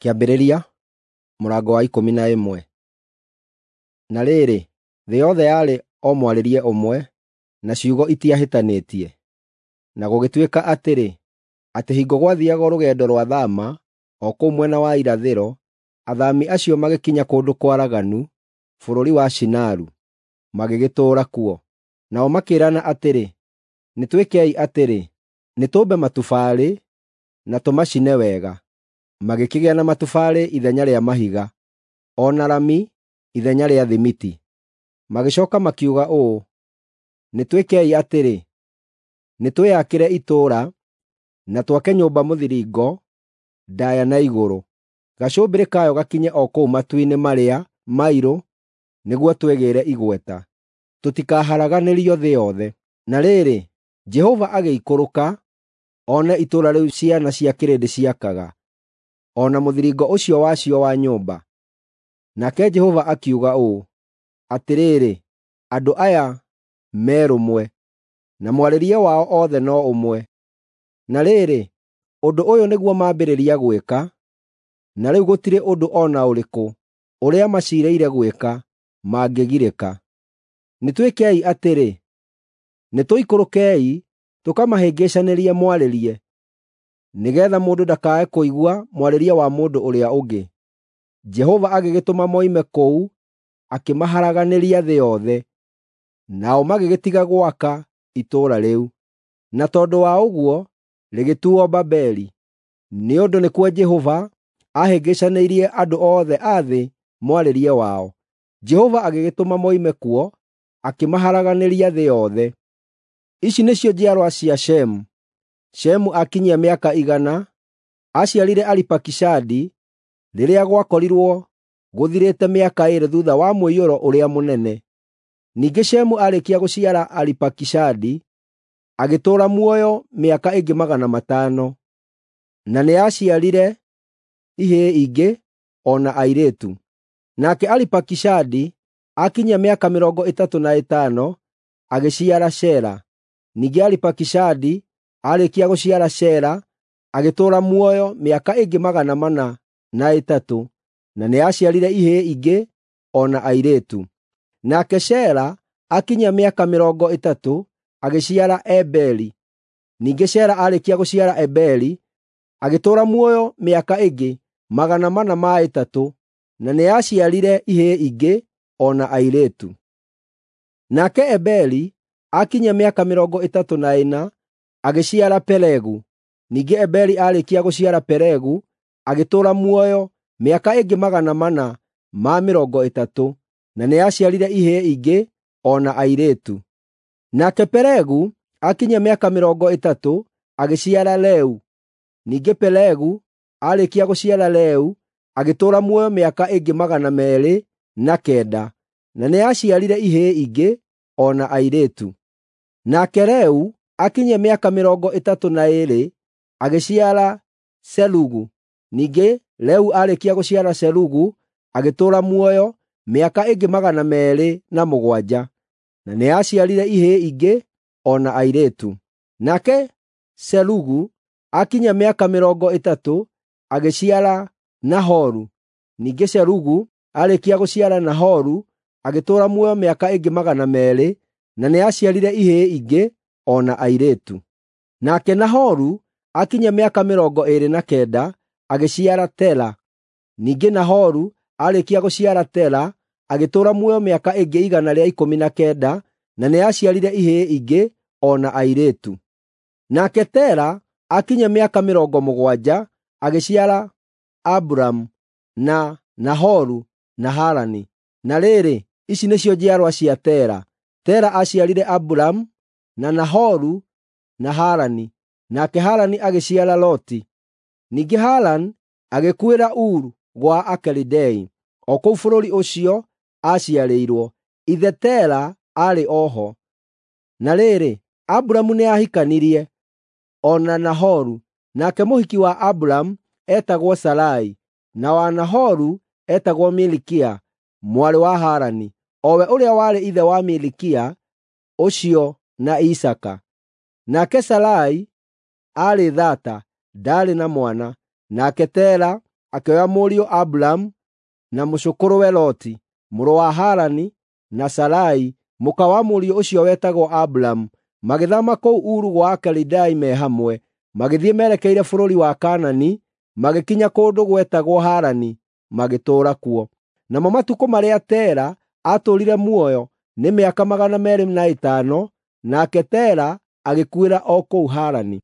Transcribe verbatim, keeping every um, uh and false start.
Kĩambĩrĩria mũrango wa ikũmi na ĩmwe. Na rĩrĩ, thĩ yothe yarĩ o mwarĩrie ũmwe, na ciugo itiahĩtanĩtie. Na gũgĩtuĩka atĩrĩ, atĩ hingo gwathiiagwo rũgendo rwa thaama o kũu mwena wa irathĩro, athaami acio magĩkinya kũndũ kwaraganu bũrũri wa Shinaru, magĩgĩtũũra kuo. Nao makĩĩrana atĩrĩ, “Nĩ twĩkei atĩrĩ, nĩtũũmbe matubarĩ na tũmacine wega.” Magĩkĩgĩa na matubarĩ ithenya rĩa mahiga, o na rami ithenya rĩa thimiti. Magĩcooka makiuga ũũ, “Nĩ twĩkei atĩrĩ, nĩtwĩyakĩre itũũra na twake nyũmba mũthiringo ndaaya na igũrũ, gacũmbĩrĩ kayo gakinye o kũu matu-inĩ marĩa mairũ nĩguo twĩgĩĩre igweta, tũtikaharaganĩrio thĩ yothe.” Na rĩrĩ, Jehova agĩikũrũka one itũũra rĩu ciana cia kĩrĩndĩ ciakaga, o na mũthiringo ũcio wacio wa nyũmba. Nake Jehova akiuga ũũ, “Atĩrĩrĩ, andũ aya me rũmwe, na mwarĩrie wao othe no ũmwe. Na rĩrĩ, ũndũ ũyũ nĩguo mambĩrĩria gwĩka, na rĩu gũtirĩ ũndũ o na ũrĩkũ ũrĩa maciirĩire gwĩka mangĩgirĩka. Nĩtwĩkei atĩrĩ, nĩtũikũrũkei tũkamahĩngĩcanĩrie mwarĩrie, nĩgeetha mũndũ ndakae kũigua mwarĩrie wa mũndũ ũrĩa ũngĩ.” Jehova agĩgĩtũma moime kũu akĩmaharaganĩria thĩ yothe, nao magĩgĩtiga gwaka itũũra rĩu. Na tondũ wa ũguo rĩgĩtuuo Babeli, nĩ ũndũ nĩkuo Jehova aahĩngĩcanĩirie andũ othe a thĩ mwarĩrie wao. Jehova agĩgĩtũma moime kuo akĩmaharaganĩria thĩ yothe. Ici nĩcio njiarwa cia Shemu. Shemu akinyia mĩaka igana, aaciarire Aripakishadi rĩrĩa gwakorirwo gũthirĩte mĩaka ĩĩrĩ thuutha wa mũiyũro ũrĩa mũnene. Ningĩ Shemu aarĩkia gũciara Aripakishadi, agĩtũũra muoyo mĩaka ĩngĩ magana matano, na nĩaciarire ihĩĩ ingĩ o na airĩtu. Nake Aripakishadi akinyia mĩaka mĩrongo ĩtatũ na ĩtano, agĩciara Shela. Ningĩ Aripakishadi aarĩkia gũciara Shela, agĩtũũra muoyo mĩaka ĩngĩ magana mana na ĩtatũ, na nĩaciarire ihĩĩ ingĩ o na airĩtu. Nake Shela akinyia mĩaka mĩrongo ĩtatũ, agĩciara Eberi. Ningĩ Shela aarĩkia gũciara Eberi, agĩtũũra muoyo mĩaka ĩngĩ magana mana ma ĩtatũ, na nĩaciarire ihĩĩ ingĩ o na airĩtu. Nake Eberi akinyia mĩaka mĩrongo ĩtatũ na ĩna, agĩciara Pelegu. Ningĩ Eberi aarĩkia gũciara Pelegu, agĩtũũra muoyo mĩaka ĩngĩ magana mana ma mĩrongo ĩtatũ, na nĩaciarire ihĩĩ ingĩ o na airĩtu. Nake Pelegu akinyia mĩaka mĩrongo ĩtatũ, agĩciara Reu. Ningĩ Pelegu aarĩkia gũciara Reu, agĩtũũra muoyo mĩaka ĩngĩ magana meerĩ na kenda, na nĩaciarire ihĩĩ ingĩ o na airĩtu. Nake Reu akinyia mĩaka mĩrongo ĩtatũ na ĩĩrĩ, agĩciara Serugu. Ningĩ Reu aarĩkia gũciara Serugu, agĩtũũra muoyo mĩaka ĩngĩ magana meerĩ na mũgwanja, na nĩaciarire ihĩĩ ingĩ o na airĩtu. Nake Serugu akinyia mĩaka mĩrongo ĩtatũ, agĩciara Nahoru. Ningĩ Serugu aarĩkia gũciara Nahoru, agĩtũũra muoyo mĩaka ĩngĩ magana meerĩ, na nĩaciarire ihĩĩ ingĩ o na airĩtu. Nake Nahoru akinyia mĩaka mĩrongo ĩĩrĩ na kenda, agĩciara Tera. Ningĩ Nahoru aarĩkia gũciara Tera, agĩtũũra muoyo mĩaka ĩngĩ igana rĩa ikũmi na kenda, na nĩaciarire ihĩĩ ingĩ o na airĩtu. Nake Tera akinyia mĩaka mĩrongo mũgwanja, agĩciara Aburamu, na Nahoru na Harani. Na rĩrĩ, ici nĩcio njiarwa cia Tera. Tera aaciarire Aburamu, na Nahoru na Harani. Nake Harani agĩciara Loti. Ningĩ Harani agĩkuĩra Uru gwa Akalidei, o kũu bũrũri ũcio aaciarĩirwo. Ithe Tera aarĩ o ho. Na rĩrĩ, Aburamu nĩahikanirie, o na Nahoru. Nake mũhiki wa Aburamu eetagwo Sarai, na wa Nahoru eetagwo Milikia, mwarĩ wa Harani, o we ũrĩa warĩ ithe wa Milikia ũcio na Isaaka. Nake Sarai aarĩ thaata, ndaarĩ na mwana. Nake Tera akĩoya mũriũ Aburamu na mũcũkũrũwe Loti, mũrũ wa Harani, na Sarai, mũka wa mũriũ ũcio wetagwo Aburamu, magĩthaama kũu Uru gwa Akalidei me hamwe, magĩthiĩ merekeire bũrũri wa Kaanani, magĩkinya kũndũ gwetagwo Harani, magĩtũũra kuo. Namo matukũ marĩa Tera aatũũrire muoyo nĩ mĩaka magana meerĩ na ĩtano, nake Tera agĩkuĩra o kũu Harani.